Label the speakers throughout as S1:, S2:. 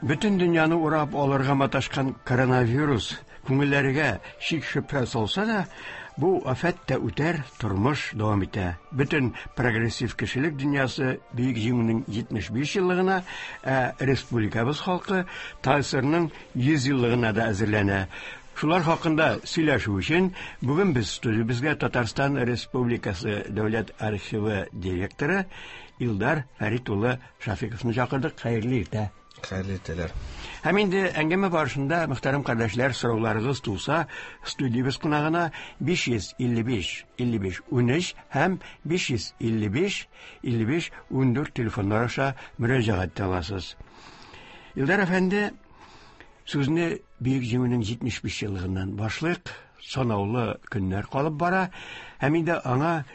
S1: Бөтен дөньяны урап алырга маташкан коронавирус күңелләргә шик-шөбһә салса да, бу афәт тә үтәр, тормыш дәвам итә. Бөтен прогрессив кешелек дөньясы Бөек Җиңүнең 75 еллыгына, ә республикабыз халкы ТАССРның 100 еллыгына да әзерләнә. Шулар хакында сөйләшү өчен бүген без студиябезгә Татарстан Республикасы Дәүләт архивы директоры Илдар Фәрит улы Шафиковны чакырдык. Хәерле иртә.
S2: Хәерле иртәләр.
S1: Һәм инде әңгәмә барышында, мөхтәрәм кардәшләр, сорауларыгыз туса, студиябез кунагына 555 55 13 һәм 555 55 14 телефоннар аша мөрәҗәгать итә аласыз. Илдар әфәнде, сүзне Бөек Җиңүнең 75 еллыгыннан башлыйк. Санаулы көннәр калып бара. Һәм инде аңа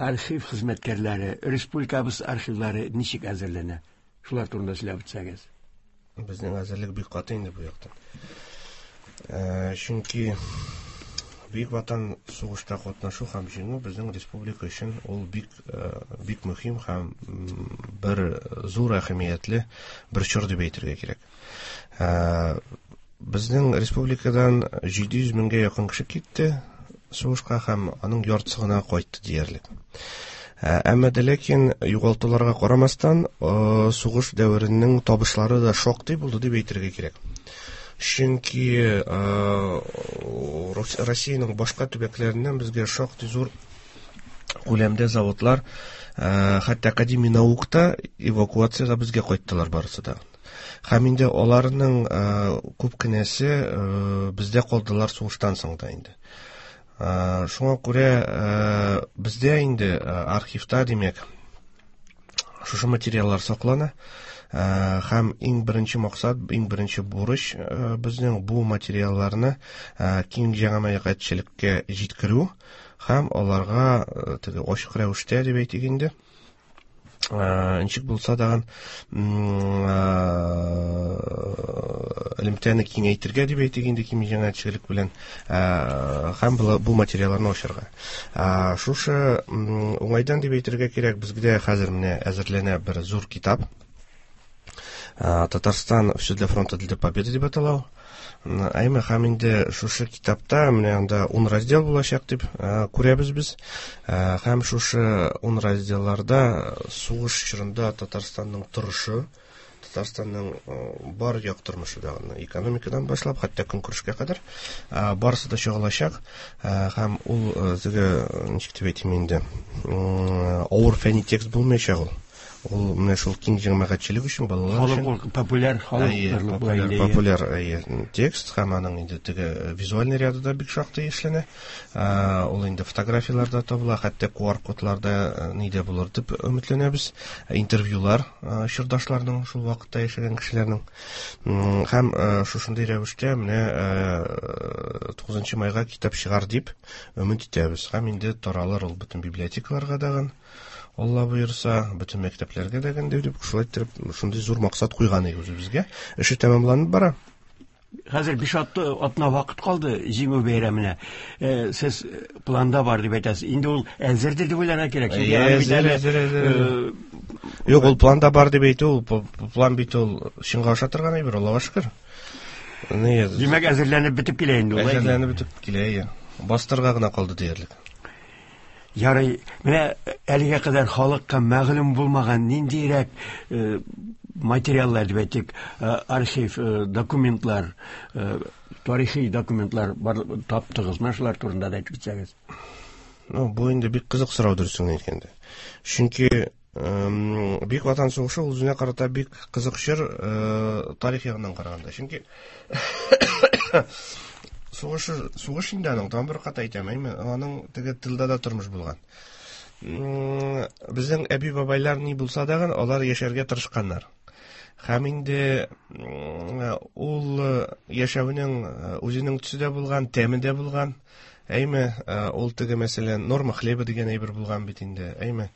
S1: архив хезмәткәрләре, республикабыз архивлары ничек әзерләнә? Шулар турында сөйләп үтсәгез.
S2: Безнең әзерлек бик каты инде бу яктан. Э, чөнки Бөек Ватан сугышта катнашу һәм җиңү безнең республика өчен ул бик э, бик мөһим һәм бер зур әһәмиятле бер чор дип әйтергә кирәк. Э, безнең республикадан 700 меңгә якын кеше китте сугышка һәм аның яртысы гына кайтты диярлек. Ә, әмма дә ләкин югалтуларга карамастан, э, сугыш дәверенең табышлары да шактый булды дип әйтергә кирәк. Чөнки э, Россиянең башка төбәкләреннән безгә шактый зур күләмдә заводлар, э, хәтта академия наук та эвакуациягә безгә кайттылар барысы да. Һәм инде аларның э, күп кенәсе э, бездә калдылар сугыштан соң да инде. Э, шуңа күрә бездә инде архивта, димәк, шушы материаллар саклана. Һәм иң беренче максат, иң беренче бурыч безнең бу материалларны киң җәмәгатьчелеккә җиткерү һәм аларга теге ачык рәвештә дип әйтик инде, ничек булса да элемтәне киңәйтергә дип әйтик инде киң җәмәгатьчелек белән һәм бу материалларны ачарга. Шушы уңайдан дип әйтергә кирәк, безгә хәзер менә әзерләнә бер зур китап. Татарстан все для фронта для победы дип атала ул. Әйме, һәм инде шушы китапта менә анда 10 раздел булачак дип күрәбез без. Һәм шушы 10 разделларда сугыш чорында Татарстанның торышы, Татарстанның бар як тормышы да, экономикадан башлап, хәтта көнкүрешкә кадәр, барысы да чагылачак. Һәм ул теге, ничек дип әйтим инде, авыр фәнни текст булмаячак ул. Ул менә шул киң җәмәгатьчелек өчен, балалар
S1: өчен. Халык популяр, халык
S2: популяр, популяр текст һәм аның инде теге визуальный ряды да бик шактый эшләнә. Ул инде фотографияләр дә табыла, хәтта QR-кодлар да нидә булыр дип өметләнәбез. Интервьюлар чордашларның, шул вакытта яшәгән кешеләрнең. Һәм шушындый рәвештә менә 9 майга китап чыгар дип өмет итәбез. Һәм инде таралыр ул бөтен библиотекаларга дагын. Алла боерса, бөтен мәктәпләргә дә генде дип, шулай иттереп, шундый зур максат куйган идек үзебезгә. Эше тәмамланып бара.
S1: Хәзер биш атна вакыт калды Җиңү бәйрәменә. Э, сез планда бар дип әйтәсез. Инде ул әзердер дип уйларга кирәк.
S2: Әзер, әзер, әзер. Э, Юк, ул планда бар дип әйтү, ул план бит ул чынга аша торган әйбер, Аллага шөкер.
S1: Димәк, әзерләнеп бетеп килә инде
S2: ул. Әзерләнеп бетеп килә, иә. Бастырга гына калды диярлек.
S1: Ярый, менә әлегә кадәр халыкка мәгълүм булмаган ниндирәк э, материаллар дип әйтик, э, архив э, документлар, тарихи документлар бар таптыгыз? Менә шулар турында да әйтеп китсәгез.
S2: Ну, бу инде бик кызык сорау дөресен әйткәндә. Чөнки Бөек Ватан сугышы ул үзенә карата бик кызык чор тарих ягыннан караганда. Чөнки сугыш сугыш инде аның тагын бер кат әйтәм, әйме, аның теге тылда да тормыш булган. Безнең әби-бабайлар ни булса да, алар яшәргә тырышканнар. Һәм инде ул яшәүнең үзенең төсе дә булган, тәме дә булган. Әйме, ул теге мәсәлән, норма хлеба дигән әйбер булган бит инде, әйме.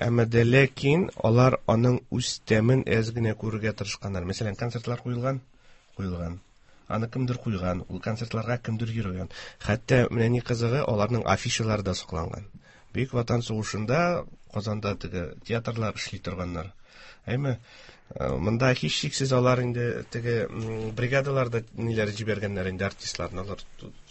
S2: Әмма дә ләкин алар аның үз тәмен әз генә күрергә тырышканнар. Мәсәлән, концертлар куелган, куелган. Аны кемдер куйган, ул концертларга кемдер йөргән. Хәтта менә ни кызыгы, аларның афишалары да сакланган. Бөек Ватан сугышында Казанда теге театрлар эшли торганнар. Әйме? Монда һичшиксез алар инде теге бригадаларда ниләр җибәргәннәр инде артистларны. Алар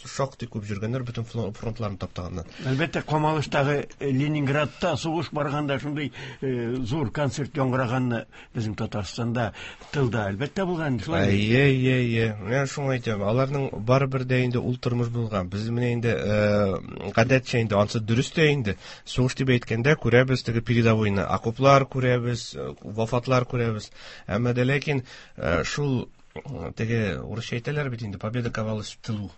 S2: шактый күп йөргәннәр, бөтен фронтларны таптаганнар.
S1: Әлбәттә, Камалыштагы Ленинградта сугыш барганда шундый зур концерт яңгыраганны безнең Татарстанда тылда әлбәттә булган,
S2: шулай. Әйе, әйе, әйе. Менә шуңа әйтәм, аларның барыбер дә инде ул тормыш булган. Без менә инде гадәтчә инде ансы дөрес тә инде. Сугыш дип әйткәндә күрәбез теге передовойны, окоплар күрәбез, вафатлар күрәбез. Әмма дә ләкин шул теге урысча әйтәләр бит инде, победа ковалась в тылу.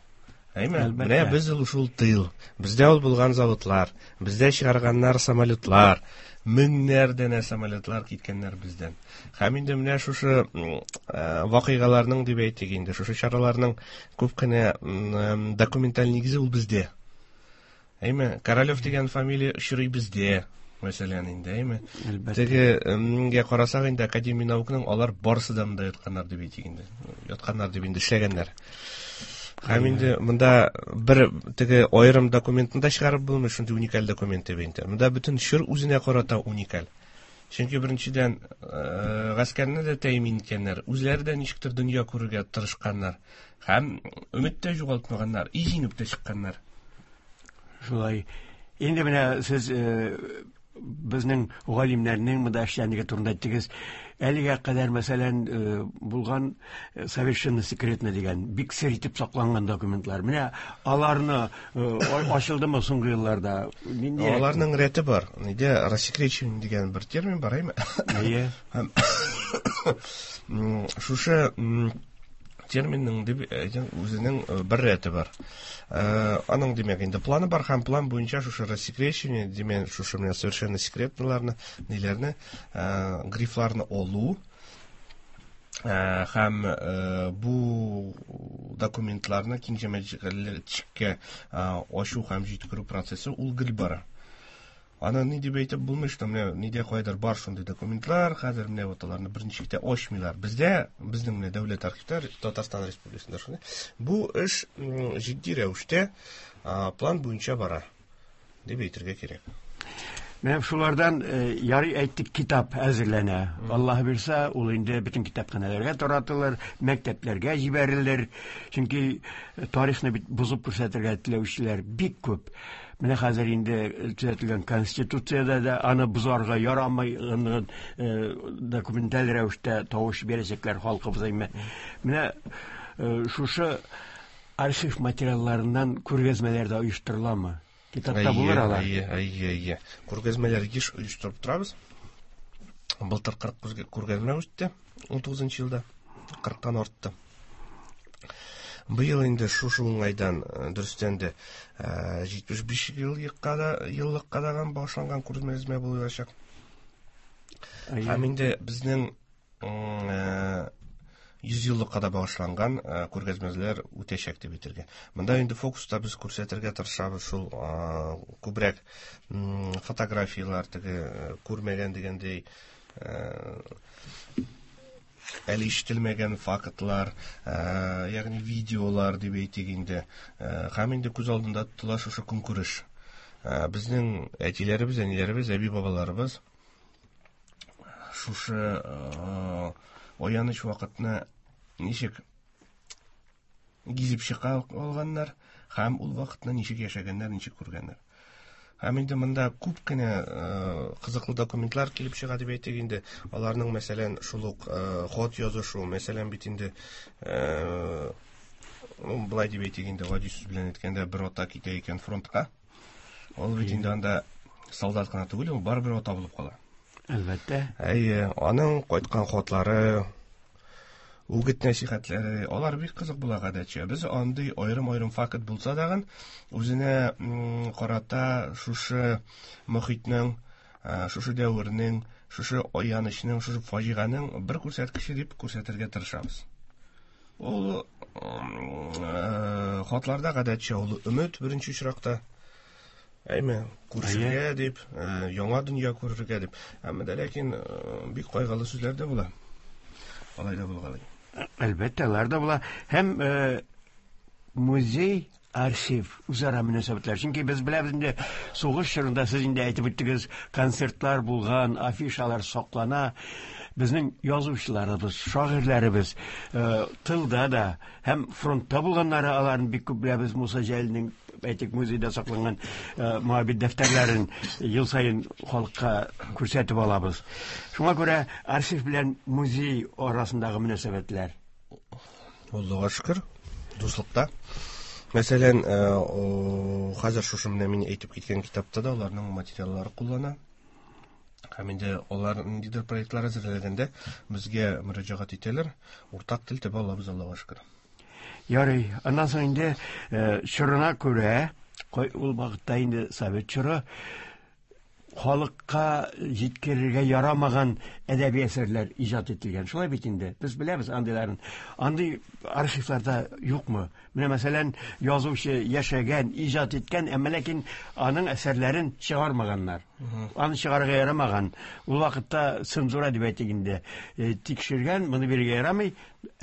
S2: Әйме? Менә без ул шул тыл. Бездә ул булган заводлар, бездә чыгарганнар самолетлар, меңнәр данә самолетлар киткәннәр бездән. Һәм инде менә шушы вакыйгаларның дип әйтик инде, шушы чараларның күп кенә документаль нигезе ул бездә. Әйме, Королев дигән фамилия очрый бездә, мәсәлән, инде, әйме? Теге карасак инде Академия наукның алар барысы да монда ятканнар дип әйтик инде. Ятканнар дип инде эшләгәннәр. Һәм инде монда бер теге аерым документны да чыгарып булмый, шундый уникаль документ дип инде. Монда бөтен чор үзенә карата уникаль. Чөнки беренчедән, гаскәрне дә тәэмин иткәннәр, үзләре дә ничектер дөнья күрергә тырышканнар. Һәм өмет тә югалтмаганнар, и җиңеп тә чыкканнар.
S1: Шулай. Инде менә сез безнең галимнәрнең монда эшчәнлеге турында әйттегез. Әлегә кадәр, мәсәлән, булган совершенно секретно дигән, бик сер итеп сакланган документлар. Менә аларны ачылдымы соңгы елларда?
S2: Нинди? Аларның рәте бар. Нидә рассекречивание дигән бер термин бар, әйме?
S1: Әйе.
S2: Һәм шушы терминның дип үзенең бер рәте бар. Аның димәк инде планы бар һәм план буенча шушы рассекречивание, димәк, шушы менә совершенно секретныйларны, ниләрне, грифларны алу һәм бу документларны киң җәмәгатьчелеккә ачу һәм җиткерү процессы ул гел бара. Аны ни дип әйтеп булмый, что менә нидә кайдыр бар шундый документлар, хәзер менә вот аларны берничек тә ачмыйлар. Бездә, безнең менә дәүләт архивта Татарстан Республикасында шундый. Бу эш җитди рәвештә план буенча бара дип әйтергә кирәк.
S1: Менә шулардан ярый әйттек, китап әзерләнә. Аллаһ бирсә, ул инде бөтен китапханәләргә таратылыр, мәктәпләргә җибәрелер. Чөнки тарихны бит бозып күрсәтергә теләүчеләр бик күп. Менә хәзер инде төзәтелгән конституциядә дә аны бозарга ярамый, документаль рәвештә тавыш бирәчәкләр халкыбыз әйме. Менә шушы архив материалларыннан күргәзмәләр дә оештырыламы? Китапта булыр алар.
S2: Әйе, әйе, әйе. Күргәзмәләр еш оештырып торабыз. Былтыр 40 күргәзмә үтте, 19 елда 40-тан артты. Быел инде шушы уңайдан, дөрестән дә, 75 еллыкка да башланган күргәзмә булачак. Һәм инде безнең 100 еллыкка да багышланган күргәзмәләр үтәчәк дип әйтергә. Монда инде фокуста без күрсәтергә тырышабыз шул күбрәк фотографияләр, теге күрмәгән дигәндәй, әле ишетелмәгән фактлар, ягъни видеолар дип әйтик инде. Һәм инде күз алдында тотыла шушы көнкүреш. Безнең әтиләребез, әниләребез, әби-бабаларыбыз шушы аяныч вакытны ничек гизеп чыга алганнар һәм ул вакытны ничек яшәгәннәр, ничек күргәннәр. Һәм инде монда күп кенә кызыклы документлар килеп чыга дип әйтик инде. Аларның, мәсәлән, шул ук хат язышу, мәсәлән, бит инде былай дип әйтик инде, гади сүз белән әйткәндә, бер ата китә икән фронтка. Ул бит инде анда солдат кына түгел, ул барыбер ата булып кала.
S1: Әлбәттә.
S2: Әйе, аның кайткан хатлары, үгет нәсихәтләре, алар бик кызык була гадәтчә. Без андый аерым-аерым факт булса дагын, үзенә карата шушы мохитнең, шушы дәвернең, шушы аянычның, шушы фаҗиганең бер күрсәткече дип күрсәтергә тырышабыз. Ул хатларда гадәтчә ул өмет беренче очракта. Әйме, күрешергә дип, яңа дөнья күрергә дип. Әмма дә ләкин бик кайгылы сүзләр дә була. Алай да булгалый.
S1: Әлбәттә, алар да була. Һәм музей, архив үзара мөнәсәбәтләр. Чөнки без беләбез инде, сугыш чорында сез инде әйтеп үттегез, концертлар булган, афишалар саклана. Безнең язучыларыбыз, шагыйрьләребез тылда да һәм фронтта булганнары, аларны бик күп беләбез. Муса Җәлилнең, әйтик, музейда сакланган Моабит дәфтәрләрен ел саен халыкка күрсәтеп алабыз. Шуңа күрә архив белән музей арасындагы мөнәсәбәтләр.
S2: Аллага шөкер, дуслыкта. Мәсәлән, хәзер шушы менә мин әйтеп киткән китапта да аларның материаллары куллана. Һәм инде алар ниндидер проектлар әзерләгәндә безгә мөрәҗәгать итәләр. Уртак тел таба алабыз, Аллага шөкер.
S1: Ярый. Аннан соң инде чорына күрә, ул вакытта инде совет чоры, халыкка җиткерергә ярамаган әдәби әсәрләр иҗат ителгән. Шулай бит инде. Без беләбез андыйларын. Андый архивларда юкмы? Менә мәсәлән, язучы яшәгән, иҗат иткән, әмма ләкин аның әсәрләрен чыгармаганнар. Аны чыгарырга ярамаган. Ул вакытта цензура дип әйтик инде. Тикшергән, моны бирергә ярамый,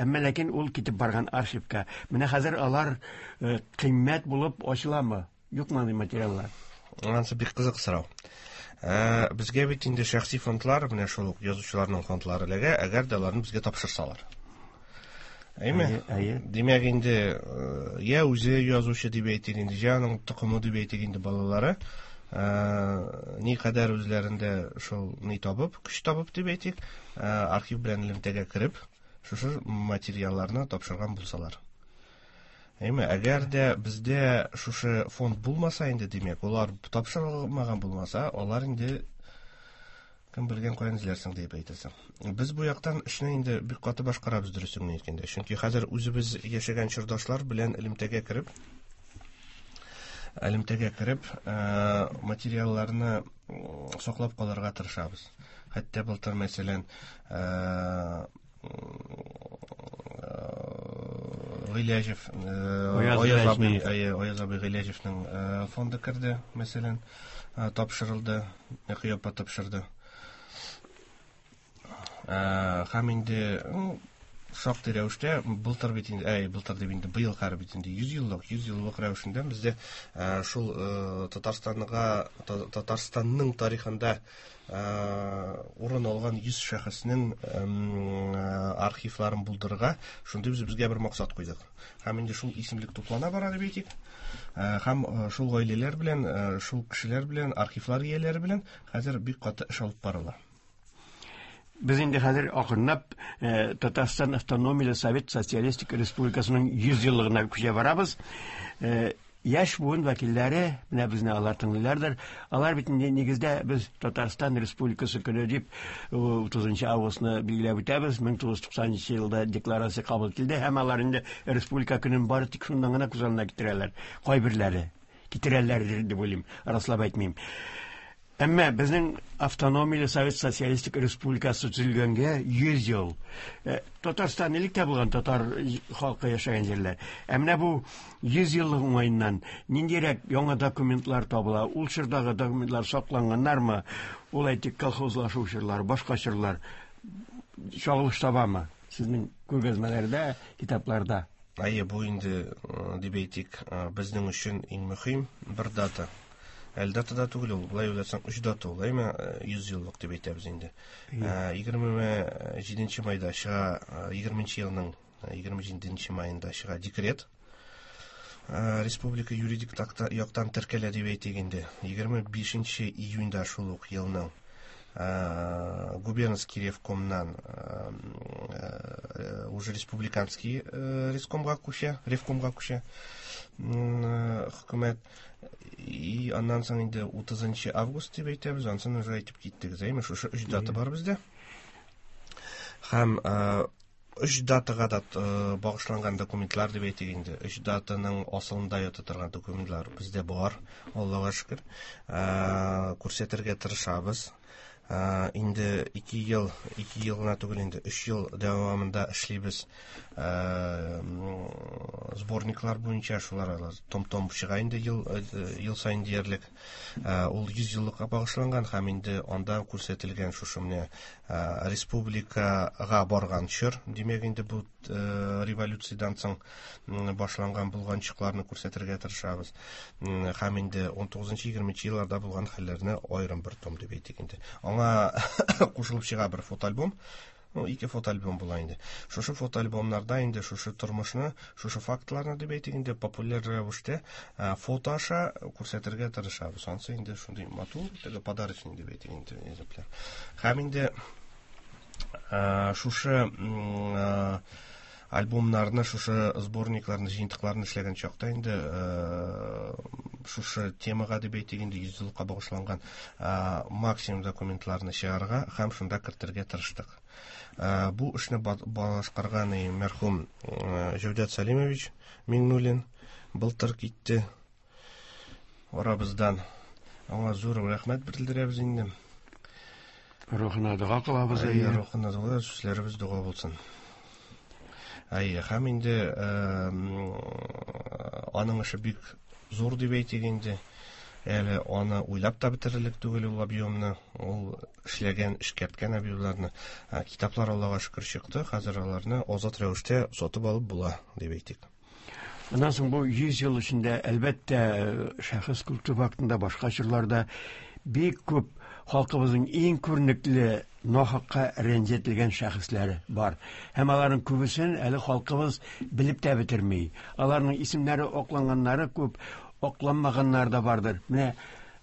S1: әмма ләкин ул китеп барган архивка. Менә хәзер алар кыйммәт булып ачыламы? Юкмы андый материаллар?
S2: Анысы бик кызык сорау. Безгә бит инде шәхси фондлар, менә шул ук язучыларның фондлары эләгә, әгәр дә аларны безгә тапшырсалар. Әйме?
S1: Әйе.
S2: Димәк инде, я үзе язучы дип әйтик инде, я аның токымы дип әйтик инде, балалары, ни кадәр үзләрендә шул ни табып, көч табып дип әйтик, архив белән элемтәгә кереп, шушы материалларны тапшырган булсалар. Әйме, әгәр дә бездә шушы фонд булмаса инде, димәк, алар тапшырылмаган булмаса, алар инде кем белгән каян эзләрсең дип әйтерсең. Без бу яктан эшне инде бик каты башкарабыз, дөресен генә әйткәндә. Чөнки хәзер үзебез яшәгән чордашлар белән элемтәгә кереп, материалларны саклап калырга тырышабыз. Хәтта былтыр, мәсәлән, Гыйләҗев,
S1: Аяз
S2: абый, Аяз абый Гыйләҗевнең фонды керде, мәсәлән, тапшырылды, Нәкыя апа тапшырды. Һәм инде шактый рәвештә былтыр бит инде, әй, былтыр дип инде, быел хәзер бит инде 100 еллык, 100 еллык рәвешендә бездә шул Татарстанга, Татарстанның тарихында урын алган 100 шәхеснең архивларын булдырырга шундый без безгә бер максат куйдык. Һәм инде шул исемлек туплана бара дип әйтик. Һәм шул гаиләләр белән, шул кешеләр белән, архивлар ияләре белән хәзер бик каты эш алып барыла.
S1: Без инде хәзер акрынлап Татарстан Автономияле Совет Социалистик Республикасының 100 еллыгына күчә барабыз. Яшь буын вәкилләре, менә безне алар тыңлыйлардыр, алар бит инде нигездә без Татарстан Республикасы көне дип 30 августны билгеләп үтәбез. 1990 елда декларация кабул ителде һәм алар инде республика көнен бары тик шуннан гына күз алдына китерәләр. Кайберләре китерәләр дип уйлыйм, раслап әйтмим. Әмма безнең автономияле Совет Социалистик Республикасы төзелгәнгә 100 ел. Татарстан элек тә булган татар халкы яшәгән җирләр. Ә менә бу 100 еллык уңаеннан ниндирәк яңа документлар табыла? Ул чордагы документлар сакланганнармы? Ул әйтик, колхозлашу чорлары, башка чорлар чагылыш табамы сезнең күргәзмәләрдә, китапларда?
S2: Әйе, бу инде, дип әйтик, безнең өчен иң мөһим бер дата. Әле дата да түгел ул, былай уйласаң, 3 дата ул, әйме, 100 еллык дип әйтәбез инде. 27 майда чыга, егерменче елның егерме җиденче майында чыга декрет. Республика юридик яктан теркәлә дип әйтик инде. 25 июньдә шул ук елның губернский ревкомнан уже республиканский ревкомга күчә, ревкомга күчә хөкүмәт. И аннан соң инде 30 август дип әйтәбез, ансын уже әйтеп киттек. Әйме, шушы 3 дата бар бездә. Һәм 3 датага да багышланган документлар дип әйтик инде. 3 датаның асылында ята торган документлар бездә бар, Аллага шөкер. Күрсәтергә тырышабыз. Инде 2 ел, 2 ел гына түгел инде, 3 ел дәвамында эшлибез. Сборниклар буенча шулар алар том-том чыга инде ел саен диярлек. Ул 100 еллыкка багышланган һәм инде анда күрсәтелгән шушы менә республикага барган чор, димәк инде бу революциядән соң башланган булганчыкларны күрсәтергә тырышабыз. Һәм инде 19-20 елларда булган хәлләрне аерым бер том дип әйтик инде. Аңа кушылып чыга бер фотоальбом. Ну, ике фотоальбом була инде. Шушы фотоальбомнарда инде шушы тормышны, шушы фактларны дип әйтик инде популяр рәвештә фото аша күрсәтергә тырышабыз. Ансы инде шундый матур, теге подарочный дип әйтик инде экземпляр. Һәм инде шушы альбомнарны, шушы сборникларны, җыентыкларны эшләгән чакта инде шушы темага дип әйтик инде 100 еллыкка багышланган максимум документларны чыгарырга һәм шунда кертергә тырыштык. Бу эшне башкарган мәрхүм Җәүдәт Салимович Миңнуллин былтыр китте арабыздан. Аңа зур рәхмәт белдерәбез инде.
S1: Рухына дога кылабыз.
S2: Әйе, рухына дога, сүзләребез дога булсын. Әйе, һәм инде аның эше бик зур дип әйтик инде. Әле аны уйлап та бетерерлек түгел ул объемны, ул эшләгән, эшкәрткән объемнарны. Китаплар Аллага шөкер чыкты, хәзер аларны азат рәвештә сатып алып була дип әйтик.
S1: Аннан соң бу 100 ел эчендә, әлбәттә, шәхес культы вакытында, башка чорларда бик күп халкыбызның иң күренекле нахакка рәнҗетелгән шәхесләре бар. Һәм аларның күбесен әле халкыбыз белеп тә бетерми. Аларның исемнәре акланганнары күп, акланмаганнары да бардыр. Менә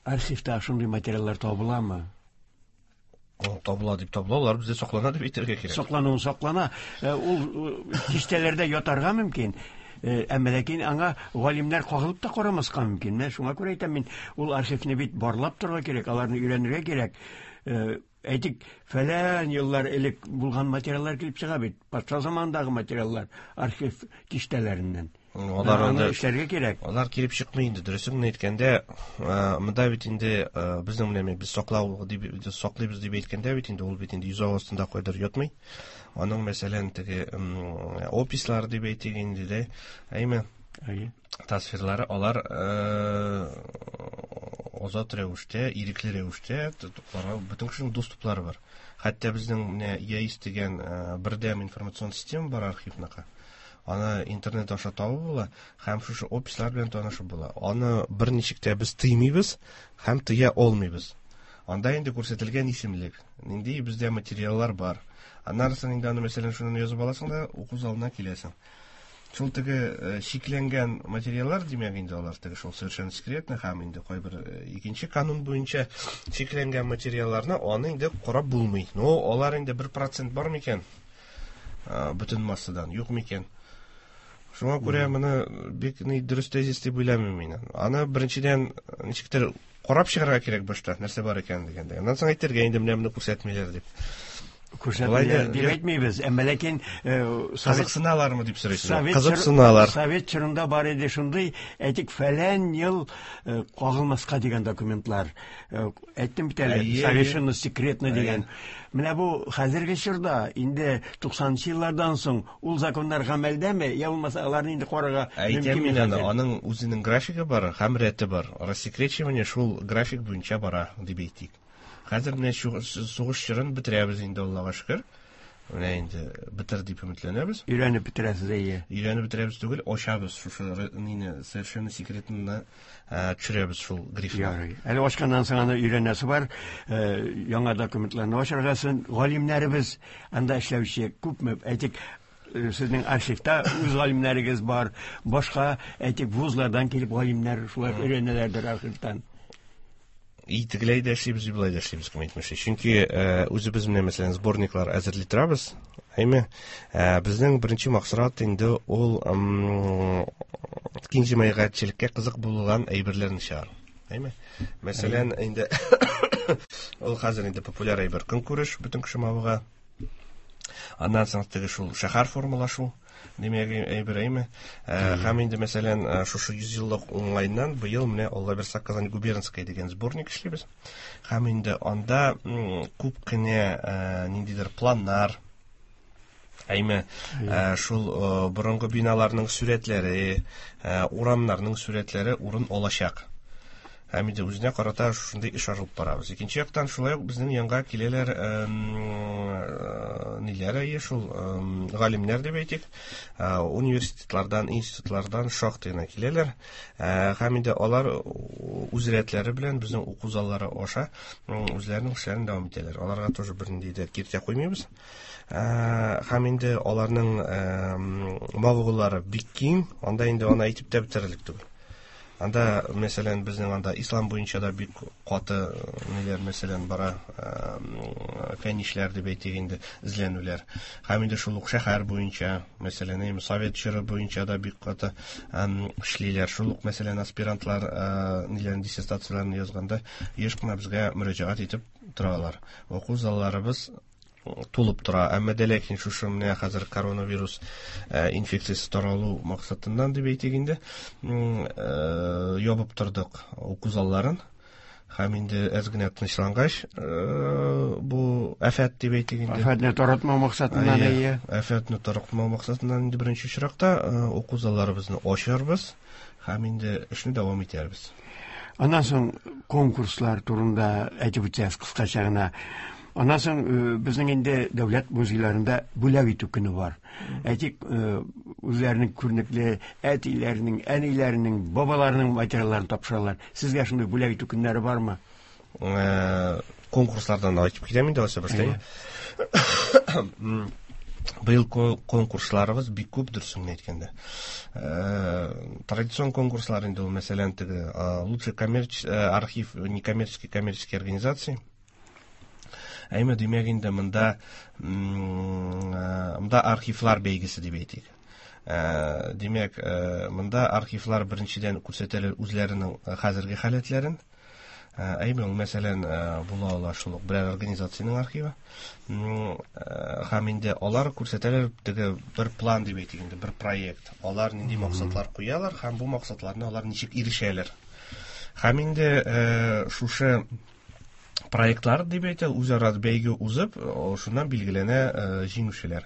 S1: архивта шундый материаллар табыламы?
S2: Табыла дип табыла, алар бездә саклана дип әйтергә кирәк.
S1: Саклануын саклана. Ул киштәләрдә ятарга мөмкин. Әмма ләкин аңа галимнәр кагылып та карамаска мөмкин. Менә шуңа күрә әйтәм мин, ул архивны бит барлап торырга кирәк, аларны өйрәнергә кирәк. Әйтик, фәлән еллар элек булган материаллар килеп чыга бит. Патша заманындагы материаллар архив киштәләреннән.
S2: Алар
S1: аны эшләргә кирәк.
S2: Алар килеп чыкмый инде, дөресен генә әйткәндә, монда бит инде безнең менә без саклау дип саклыйбыз дип әйткәндә бит инде ул бит инде йозак астында кайдыр ятмый. Аның мәсәлән теге опислар дип әйтик инде дә, әйме?
S1: Әйе.
S2: Тасвирлары алар азат рәвештә, ирекле рәвештә бөтен кешенең доступлары бар. Хәтта безнең менә ЯИС дигән бердәм информацион система бар архивныкы. Аны интернет аша табып була һәм шушы опислар белән танышып була. Аны берничек тә без тыймыйбыз һәм тыя алмыйбыз. Анда инде күрсәтелгән исемлек, нинди бездә материаллар бар. Аннан соң инде аны мәсәлән шуны язып аласың да уку залына киләсең. Шул теге шикләнгән материаллар, димәк инде алар теге шул совершенно секретно һәм инде кайбер икенче канун буенча шикләнгән материалларны аны инде карап булмый. Но алар инде 1% бар микән? Бөтен массадан юк микән? Шуңа күрә моны бик ни дөрес тезис дип уйламыйм мин. Аны беренчедән ничектер карап чыгарга кирәк башта, нәрсә бар икән дигәндә. Аннан соң әйтергә инде менә моны күрсәтмиләр дип.
S1: Күрсәтмиләр дип әйтмибез, әмма ләкин
S2: кызыксыналармы дип сорыйсыз. Кызыксыналар.
S1: Совет чорында бар иде шундый, әйтик, фәлән ел кагылмаска дигән документлар. Әйттем бит әле, совершенно секретно дигән. Менә бу хәзерге чорда, инде 90-нчы еллардан соң ул законнар гамәлдәме, я булмаса аларны инде карарга
S2: мөмкин мин аны, аның үзенең графигы бар һәм рәте бар. Рассекречивание шул график буенча бара дип әйтик. Хәзер менә сугыш чорын бетерәбез инде, Аллага шөкер. Менә инде бетер дип өметләнәбез.
S1: Өйрәнеп бетерәсез, әйе.
S2: Өйрәнеп бетерәбез түгел, ачабыз шушы нине совершенно секретно төшерәбез шул грифны.
S1: Ярый. Әле ачканнан соң аны өйрәнәсе бар, яңа документларны ачарга соң галимнәребез анда эшләүче күпме, әйтик, сезнең архивта үз галимнәрегез бар, башка, әйтик, вузлардан килеп галимнәр шулай өйрәнәләрдер архивтан.
S2: И тегеләй дә эшлибез, и болай да эшлибез, кем әйтмешли. Чөнки үзебез менә, мәсәлән, сборниклар әзерли торабыз. Әйме, безнең беренче максат инде ул киң җәмәгатьчелеккә кызык булган әйберләрне чыгару. Әйме? Мәсәлән, инде ул хәзер инде популяр әйбер көнкүреш, бөтен кеше мавыга. Аннан соң теге шул шәһәр формалашу димәк әйбер, әйме? Һәм инде, мәсәлән, шушы 100 еллык уңайыннан быел менә Алла бирса Казань губернская дигән сборник эшлибез. Һәм инде анда күп кенә ниндидер планнар, әйме, шул борынгы биналарның сүрәтләре, урамнарның сүрәтләре урын алачак. Һәм инде үзенә карата шушындый эш алып барабыз. Икенче яктан, шулай ук безнең янга киләләр ниләр, әйе, шул галимнәр дип әйтик, университетлардан, институтлардан шактый гына киләләр. Һәм инде алар үз рәтләре белән безнең уку заллары аша үзләренең эшләрен дәвам итәләр. Аларга тоже бернинди дә киртә куймыйбыз. Һәм инде аларның мавыгулары бик киң, анда инде аны әйтеп тә бетерерлек түгел. Анда, мәсәлән, безнең анда ислам буенча да бик каты ниләр, мәсәлән, бара, фәнни эшләр дип әйтик инде, эзләнүләр. Һәм инде шул ук шәһәр буенча, мәсәлән, әйме, совет чоры буенча да бик каты эшлиләр. Шул ук, мәсәлән, аспирантлар ниләрен, диссертацияләрен язганда еш кына безгә мөрәҗәгать итеп торалар. Уку залларыбыз тулып тора. Әмма дә ләкин шушы менә хәзер коронавирус инфекциясе таралу максатыннан дип әйтик инде, ябып тордык уку залларын. Һәм инде әз генә тынычлангач, бу афәт дип әйтик инде.
S1: Афәтне таратмау максатыннан, әйе.
S2: Афәтне таратмау максатыннан инде беренче очракта уку залларыбызны ачарбыз һәм инде эшне дәвам итәрбез.
S1: Аннан соң конкурслар турында әйтеп үтсәгез кыскача гына. Аннан соң безнең инде дәүләт музейларында бүләк итү көне бар. Әйтик, үзләренең күренекле әтиләренең, әниләренең, бабаларының материалларын тапшыралар. Сезгә шундый бүләк итү көннәре бармы?
S2: Конкурслардан да әйтеп китәм инде, алайса башлыйм. Быел конкурсларыбыз бик күп, дөресен генә әйткәндә. Традицион конкурслар инде ул, мәсәлән, теге, лучший архив некоммерческой коммерческой организации. Әйме, димәк инде монда архивлар бәйгесе дип әйтик. Димәк, монда архивлар беренчедән күрсәтәләр үзләренең хәзерге халәтләрен. Әйме, ул, мәсәлән, була ала шул ук берәр организациянең архивы. Һәм инде алар күрсәтәләр теге бер план дип әйтик инде, бер проект. Алар нинди максатлар куялар һәм бу максатларны алар ничек ирешәләр. Һәм инде шушы проектлар дип әйтә, үзара бәйге узып, шуннан билгеләнә җиңүчеләр.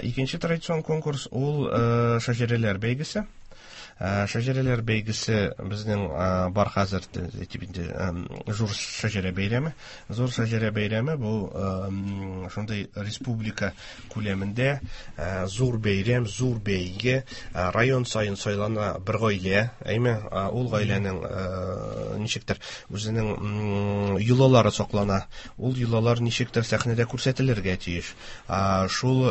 S2: Икенче традицион конкурс ул шәҗәрәләр бәйгесе. Шәҗәрәләр бәйгесе безнең бар хәзер, әйтеп инде, зур шәҗәрә бәйрәме. Зур шәҗәрә бәйрәме бу шундый республика күләмендә зур бәйрәм, зур бәйге. Район саен сайлана бер гаилә, әйме, ул гаиләнең ничектер үзенең йолалары саклана. Ул йолалар ничектер сәхнәдә күрсәтелергә тиеш. Шул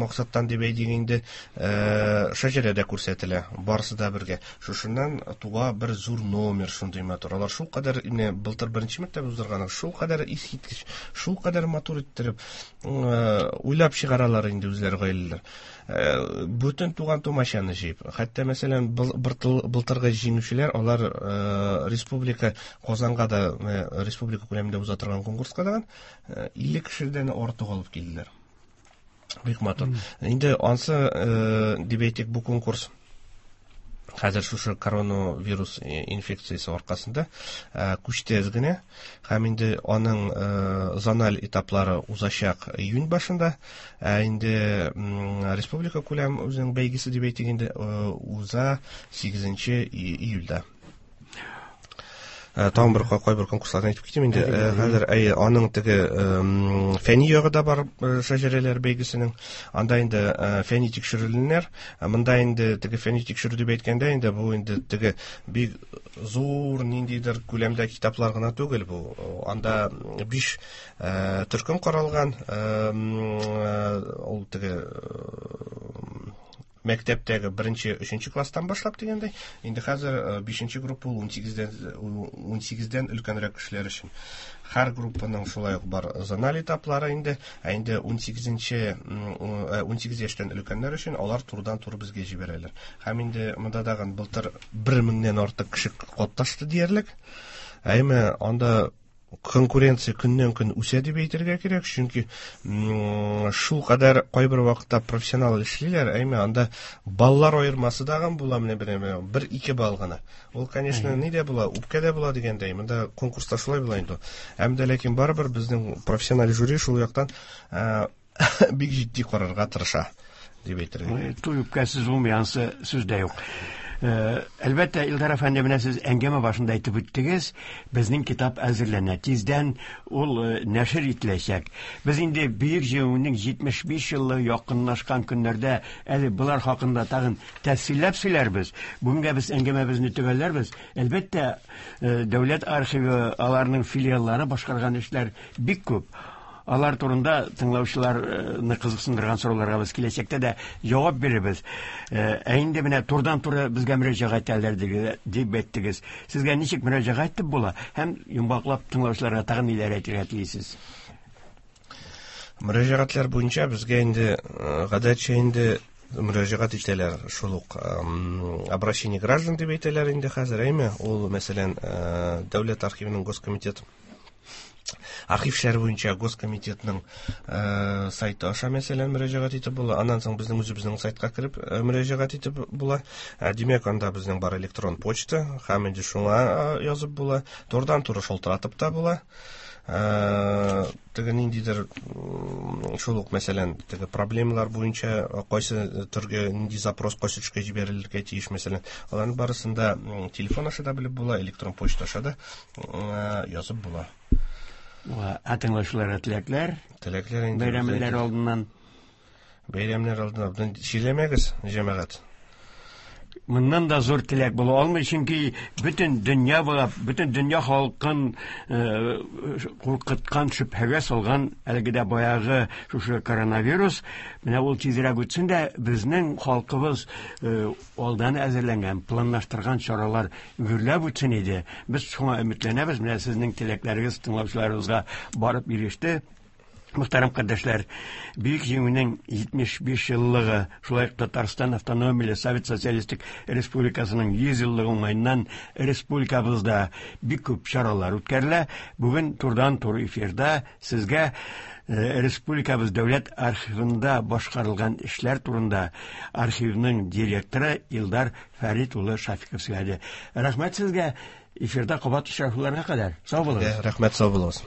S2: максаттан дип әйтик инде, шәҗәрә дә күрсәтелә, барысы да бергә. Шушыннан туа бер зур номер шундый матур. Алар шул кадәр, менә былтыр беренче мәртәбә уздырган, шул кадәр искиткеч, шул кадәр матур иттереп, уйлап чыгаралар инде үзләре гаиләләр. Бүтән туган тумачаны җыеп. Хәтта, мәсәлән, былтыргы җиңүчеләр, алар республика Казанга да, республика күләмендә уза торган конкурска да, 50 кешедән артык алып килделәр. Бик матур. Инде ансы, дип әйтик, бу конкурс хәзер шушы коронавирус инфекциясе аркасында күчте әз генә. Һәм инде аның зональ этаплары узачак июнь башында. Ә инде республика күләм үзенең бәйгесе дип әйтик инде, уза 8 июльдә. Тагын бер кайбер конкурсларны әйтеп китим инде. Хәзер, әйе, аның теге фәнни ягы да бар, шәҗәрәләр бәйгесенең. Анда инде фәнни тикшерүләр. Монда инде теге фәнни тикшерү дип әйткәндә инде бу инде теге бик зур ниндидер күләмдә китаплар гына түгел бу. Анда 5 төркем каралган. Ул теге мәктәптәге беренче, өченче класстан башлап дигәндәй, инде хәзер бишенче группа ул унсигездән өлкәнрәк кешеләр өчен. Һәр группаның шулай ук бар зональ этаплары инде, ә инде унсигез яшьтән өлкәннәр өчен алар турыдан-туры безгә җибәрәләр. Һәм инде монда тагын былтыр бер меңнән артык кеше катнашты диярлек. Әмма анда конкуренция көннән-көн үсә дип әйтергә кирәк, чөнки шул кадәр кайбер вакытта профессионал эшлиләр, әйме, анда баллар аермасы дагын була, менә бер-ике балл гына. Ул, конечно, ни дә була, үпкә дә була дигәндәй, монда конкурста шулай була инде. Әмма дә ләкин барыбер безнең профессиональ жюри шул яктан бик җитди карарга тырыша дип әйтергә.
S1: Туй үпкәсез булмый, ансы сүз дә юк. Әлбәттә, Илдар әфәнде, менә сез әңгәмә башында әйтеп үттегез, безнең китап әзерләнә. Тиздән ул нәшер ителәчәк. Без инде Бөек Җиңүнең 75 еллыгы якынлашкан көннәрдә әле болар хакында тагын тәфсилләп сөйләрбез. Бүгенгә без әңгәмәбезне төгәлләрбез. Әлбәттә, дәүләт архивы, аларның филиаллары башкарган эшләр бик күп. Алар турында тыңлаучыларны кызыксындырган сорауларга без киләчәктә дә җавап бирербез. Ә инде менә турыдан-туры безгә мөрәҗәгать итәләр дип әйттегез. Сезгә ничек мөрәҗәгать итеп була һәм йомгаклап тыңлаучыларга тагын ниләр әйтергә телисез?
S2: Мөрәҗәгатьләр буенча безгә инде гадәтчә инде мөрәҗәгать итәләр шул ук обращение граждан дип әйтәләр инде хәзер, әйме? Ул, мәсәлән, Дәүләт архивының Госкомитет архив эшләре буенча Госкомитетның сайты аша, мәсәлән, мөрәҗәгать итеп була. Аннан соң безнең үзебезнең сайтка кереп мөрәҗәгать итеп була. Димәк, анда безнең бар электрон почта, һәм инде шуңа язып була. Турыдан-туры шалтыратып та була. Теге ниндидер шул ук, мәсәлән, теге проблемалар буенча кайсы төргә нинди запрос кайсы төшкә җибәрелергә тиеш, мәсәлән, аларның барысын да телефон аша да белеп була, электрон почта аша да язып була.
S1: Ә тыңлаучыларга теләкләр?
S2: Теләкләр инде.
S1: Бәйрәмнәр алдыннан.
S2: Бәйрәмнәр алдыннан чирләмәгез, җәмәгать.
S1: Моннан да зур теләк була алмый, чөнки бөтен дөнья буйлап, бөтен дөнья халкын куркыткан, шөбһәгә салган әлеге дә баягы шушы коронавирус, менә ул тизрәк үтсен дә, безнең халкыбыз алдан әзерләнгән, планлаштырган чаралар гөрләп үтсен иде. Без шуңа өметләнәбез, менә сезнең теләкләрегез тыңлаучыларыбызга барып иреште. Мөхтәрәм кардәшләр, Бөек Җиңүнең 75 еллыгы, шулай ук Татарстан Автономияле Совет Социалистик Республикасының 100 еллыгы уңаеннан республикабызда бик күп чаралар үткәрелә. Бүген турыдан-туры эфирда сезгә республикабыз дәүләт архивында башкарылган эшләр турында архивның директоры Илдар Фәрит улы Шафиков сөйләде. Рәхмәт сезгә, эфирда кабат очрашуларга кадәр. Сау булыгыз.
S2: Рәхмәт, сау булыгыз.